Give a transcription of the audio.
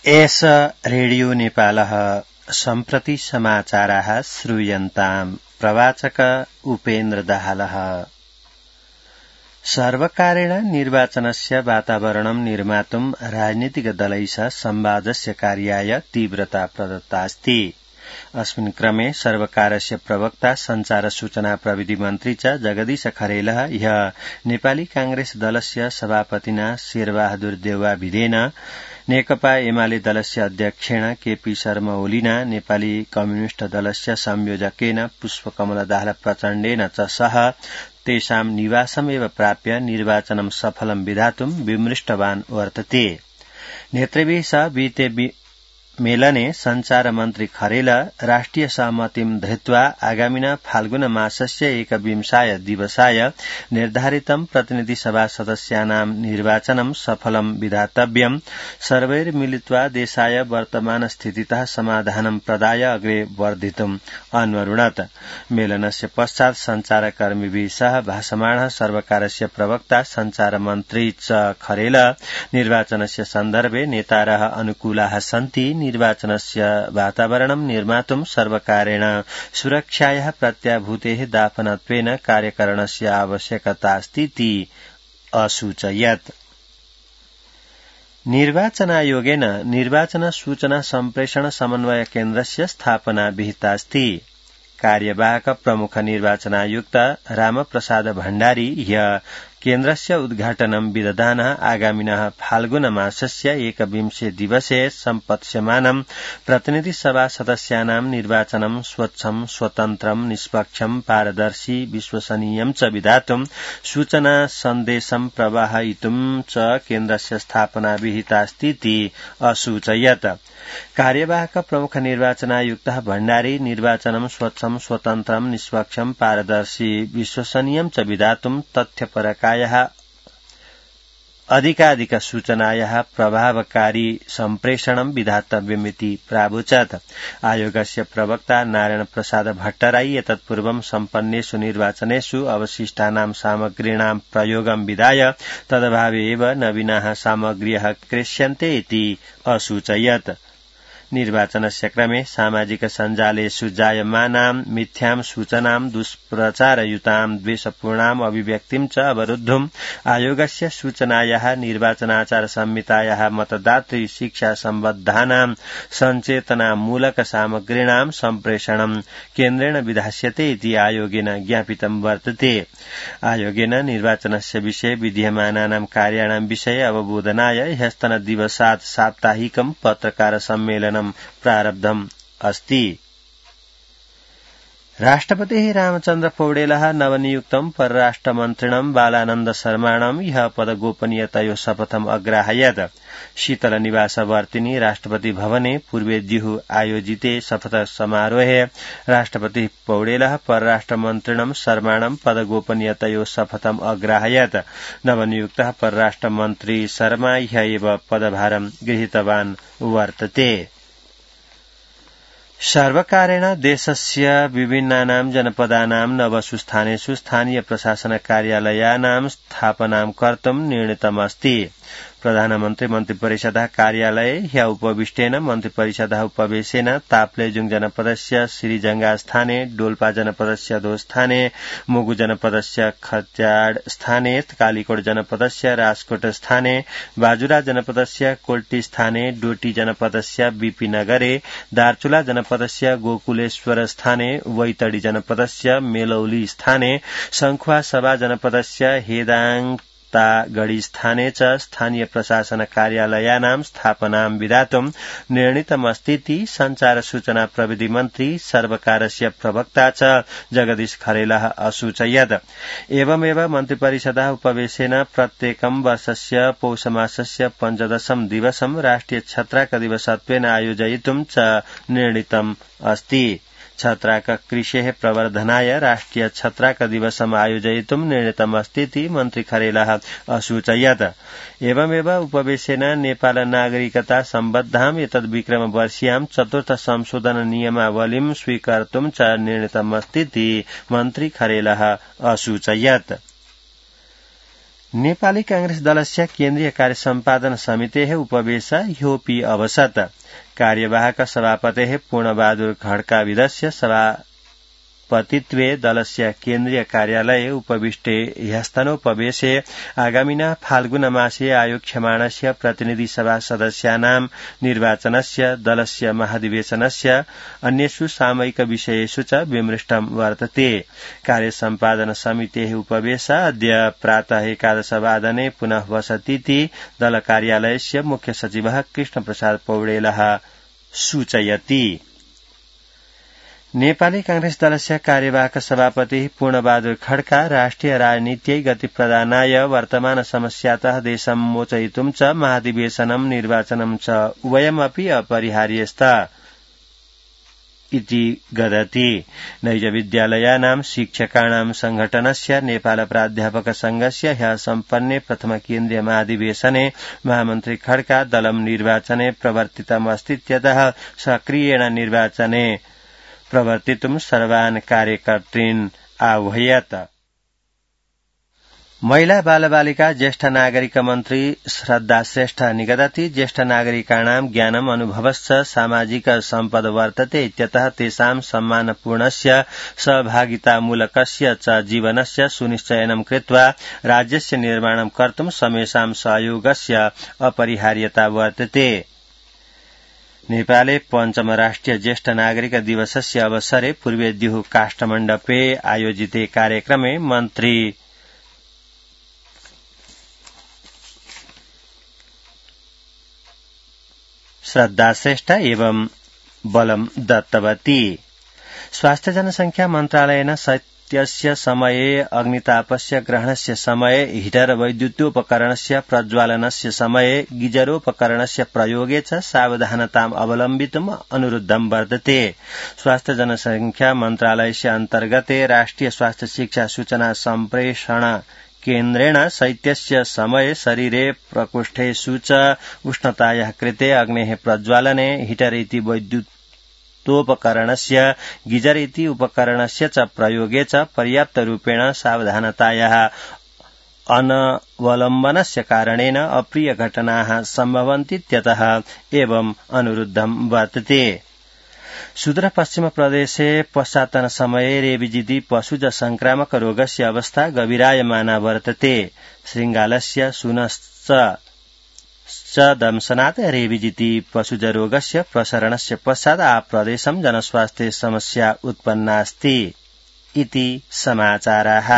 एष रेडियो नेपालः सम्प्रति समाचाराः श्रूयन्ताम्। प्रवाचक उपेन्द्र दाहालः। सर्वकारेण निर्वाचनस्य वातावरणं निर्मातुं राजनीतिकदलैः संवादस्य कार्याय तीव्रता प्रदत्तास्ति। अस्मिन् क्रमे सर्वकारस्य प्रवक्ता संचार सूचना प्रविधि मन्त्री च जगदीश खरेलः ह्यः नेपाली कांग्रेस दलस्य सभापतिना शेरबहादुर देउवा भिडेन, नेकपा एमाले दलस्य अध्यक्षेण केपी शर्मा ओलीना, नेपाली कम्युनिष्ट दलस्य संयोजकेन पुष्पकमल दाहाल प्रचण्डेन च सह तेषां निवासमेव प्राप्य निर्वाचनं सफलं विधातुं विमृष्टवान् वर्तते। नेतृभिः सह विहिते मेलने संचार मन्त्री खरेल राष्ट्रिय सहमतिं धृत्वा आगामिना फाल्गुन मासस्य 21 दिवसाय निर्धारितं प्रतिनिधि सभा सदस्यानां निर्वाचनं सफलं विधातव्यं, सर्वैर्मिलित्वा देशाय वर्तमान स्थितितः समाधानं प्रदाय अग्रे वर्धितुम् अन्वरुणत। मेलनस्य पश्चात् संचारकर्मीभिः सह भाषमाणः सर्वकारस्य प्रवक्ता संचार मन्त्री च खरेल निर्वाचनस्य सन्दर्भे नेतारः अनुकूलाः सन्ति, निर्वाचनस्य वातावरणं निर्मातुं सर्वकारेण सुरक्षायाः प्रत्याभूतेः दापनत्वेन कार्यकरणस्य आवश्यकतास्तीति असूचयत्। निर्वाचनायोगेन निर्वाचन सूचना सम्प्रेषण समन्वय केन्द्रस्य स्थापना विहितास्ति। कार्यवाहक प्रमुख निर्वाचनायुक्त रामप्रसाद भण्डारी ह्यः केन्द्रस्य उद्घाटनं विदधानः। आगामिनः फाल्गुन मासस्य 21 दिवसे सम्पत्स्यमानं प्रतिनिधि सभा सदस्यानां निर्वाचनं स्वच्छं, स्वतन्त्रं, निष्पक्षं, पारदर्शी, विश्वसनीयं च विधातुं सूचना सन्देशं प्रवाहयितुं च केन्द्रस्य स्थापना विहितास्तीति असूचयत्। कार्यवाहक प्रमुख निर्वाचनायुक्तः भण्डारी निर्वाचनं स्वच्छं, स्वतन्त्रं, निष्पक्षं, पारदर्शी, विश्वसनीयं च विधातुं तथ्यपरकायाः अधिकाधिक सूचनायाः प्रभावकारी सम्प्रेषणं विधातव्यमिति प्रावोचत्। आयोगस्य प्रवक्ता नारायण प्रसाद भट्टराई एतत्पूर्वं सम्पन्नेषु निर्वाचनेषु अवशिष्टानां सामग्रीणां प्रयोगं विधाय तदभावे एव नवीनाः सामग्र्यः क्रेष्यन्ते इति असूचयत्। निर्वाचनस्य क्रमे सामाजिक सञ्जालेषु जायमानां मिथ्यां सूचनां, दुष्प्रचारयुतां, द्वेषपूर्णाम् अभिव्यक्तिं च अवरुद्धुम् आयोगस्य सूचनायाः निर्वाचनाचार संहितायाः मतदातृ शिक्षा सम्बद्धानां सञ्चेतनामूलक सामग्रीणां सम्प्रेषणं केन्द्रेण विधास्यते इति आयोगेन ज्ञापितं वर्तते। आयोगेन निर्वाचनस्य विषये विधीयमानानां कार्याणां विषये अवबोधनाय ह्यस्तनदिवसात् साप्ताहिकं पत्रकार सम्मेलनं प्रारब्धम् अस्ति। राष्ट्रपतिः रामचन्द्र पौडेलः नवनियुक्तं परराष्ट्रमन्त्रिणं बालानन्द शर्माणं ह्यः पदगोपनीयतयोः शपथम् अग्राहयत्। शीतलनिवासवर्तिनि राष्ट्रपति भवने पूर्वेद्युः आयोजिते शपथ समारोहे राष्ट्रपतिः पौडेलः परराष्ट्रमन्त्रिणं शर्माणं पदगोपनीयतयोः शपथम् अग्राहयत्। नवनियुक्तः परराष्ट्रमन्त्री शर्मा ह्यः एव पदभारं गृहीतवान् वर्तते। सर्वकारेण देशस्य विभिन्नानां जनपदानां नवसु स्थानेषु स्थानीय प्रशासन कार्यालयानां स्थापनां कर्तुं निर्णीतमस्ति। प्रधानमन्त्री मन्त्रिपरिषदः कार्यालये ह्यः उपविष्टेन मन्त्रिपरिषदः उपवेशेन ताप्लेजुङ जनपदस्य श्रीजंगा स्थाने, डोल्पा जनपदस्य दो स्थाने, मुगु जनपदस्य खत्याड स्थाने, कालीकोट जनपदस्य राजकोट स्थाने, बाजुरा जनपदस्य कोल्टी स्थाने, डोटी जनपदस्य बीपीनगरे, दार्चुला जनपदस्य गोकुलेश्वर स्थाने, वैतडी जनपदस्य मेलौली स्थाने, सङ्खुवासभा जनपदस्य हेदाङ गढ़ी स्थाने च स्थानीय प्रशासन कार्यालयानां स्थापनां विधातुं निर्णीतमस्तीति संचार सूचना प्रविधि मन्त्री सर्वकारस्य प्रवक्ता च जगदीश खरेलः असूचयत्। एवमेव मन्त्रिपरिषदः उपवेशेन प्रत्येकं वर्षस्य पौषमासस्य 15 दिवसं राष्ट्रिय छत्राक दिवसत्वेन आयोजयितुं च निर्णीतम् अस्ति। छत्राक कृषेः प्रवर्धनाय राष्ट्रिय छत्राक दिवसम् आयोजयितुं निर्णीतमस्तीति मन्त्री खरेलः असूचयत्। एवमेव उपवेशेन नेपाल नागरिकता सम्बद्धाम् एतद्विक्रमवर्षीयां 4th संशोधन नियमावलीं स्वीकर्तुं च निर्णीतमस्तीति मन्त्री खरेलः असूचयत्। नेपाली कांग्रेस दलस्य केन्द्रीय कार्य सम्पादन समितेः उपवेश ह्योपि अवसत् कार्यवाहक सभापतेः पूर्णबहादुर खड्काविदस्य सभापतित्वे दलस्य केन्द्रीय कार्यालये उपविष्टे ह्यस्तनोपवेशे आगामिना फाल्गुनमासे आयोक्ष्यमाणस्य प्रतिनिधि सभा सदस्यानां निर्वाचनस्य दलस्य महाधिवेशनस्य अन्येषु सामयिक विषयेषु च विमृष्टं वर्तते। कार्य सम्पादन समितेः उपवेश अद्य प्रातः 11:15 पुनः वसतीति दल कार्यालयस्य मुख्य सचिवः कृष्णप्रसाद पौडेलः सूचयति। नेपाली कांग्रेस दलस्य कार्यवाहक सभापति पूर्णबहादुर खड्का राष्ट्रिय राजनीत्यै गति प्रदानाय वर्तमान समस्यातः देशं मोचयितुं च महाधिवेशनं निर्वाचनं च उभयमपि अपरिहार्यस्तः इति गदति। नैजविद्यालयानां शिक्षकाणां संघटनस्य नेपाल प्राध्यापक संघस्य ह्यः सम्पन्ने प्रथम केन्द्रीय महाधिवेशने महामन्त्री खड्का दलं निर्वाचने प्रवर्तितमस्तीत्यतः सक्रियेण निर्वाचने प्रवर्तितुं सर्वान् कार्यकर्तॄन् आह्वयत्। महिला बालबालिका ज्येष्ठ नागरिक मन्त्री श्रद्धा श्रेष्ठ निगदति ज्येष्ठ नागरिकाणां ज्ञानम् अनुभवश्च सामाजिक सम्पद वर्तते इत्यतः तेषां सम्मानपूर्णस्य सहभागितामूलकस्य च जीवनस्य सुनिश्चयनं कृत्वा राज्यस्य निर्माणं कर्तुं समेषां सहयोगस्य अपरिहार्यता वर्तते। नेपाले पञ्चम राष्ट्रिय ज्येष्ठ नागरिक दिवसस्य अवसरे पूर्वेद्युः काष्ठमण्डपे आयोजिते कार्यक्रमे मन्त्री श्रद्धा श्रेष्ठ एवं बलं दत्तवती। स्वास्थ्य जनसंख्या मन्त्रालयेन शैत्यस्य समये अग्नितापस्य ग्रहणस्य समये हीटर वैद्युतोपकरणस्य प्रज्वालनस्य समये गीजरोपकरणस्य प्रयोगे च सावधानताम् अवलम्बितुम् अनुरुद्धं वर्तते। स्वास्थ्य जनसंख्या मन्त्रालयस्य अन्तर्गते राष्ट्रिय स्वास्थ्य शिक्षा सूचना सम्प्रेषण केन्द्रेण शैत्यस्य समये शरीरे प्रकोष्ठेषु च उष्णतायाः कृते अग्नेः प्रज्वालने हीटर इति वैद्युतोपकरणस्य गीजर इति उपकरणस्य च प्रयोगे च पर्याप्तरूपेण सावधानतायाः अनवलम्बनस्य कारणेन अप्रिय घटनाः सम्भवन्तीत्यतः एवं अनुरुद्धं वर्तते। सुदूर पश्चिम प्रदेशे पश्चातन समये रेबिजिति पशुज संक्रामक रोगस्य अवस्था गभीरायमाना वर्तते। शृङ्गालस्य शुनश्च दंशनात् रेबिजिति पशुज रोगस्य प्रसरणस्य पश्चात् आप्रदेशं जनस्वास्थ्य समस्या उत्पन्नास्ति इति समाचाराः।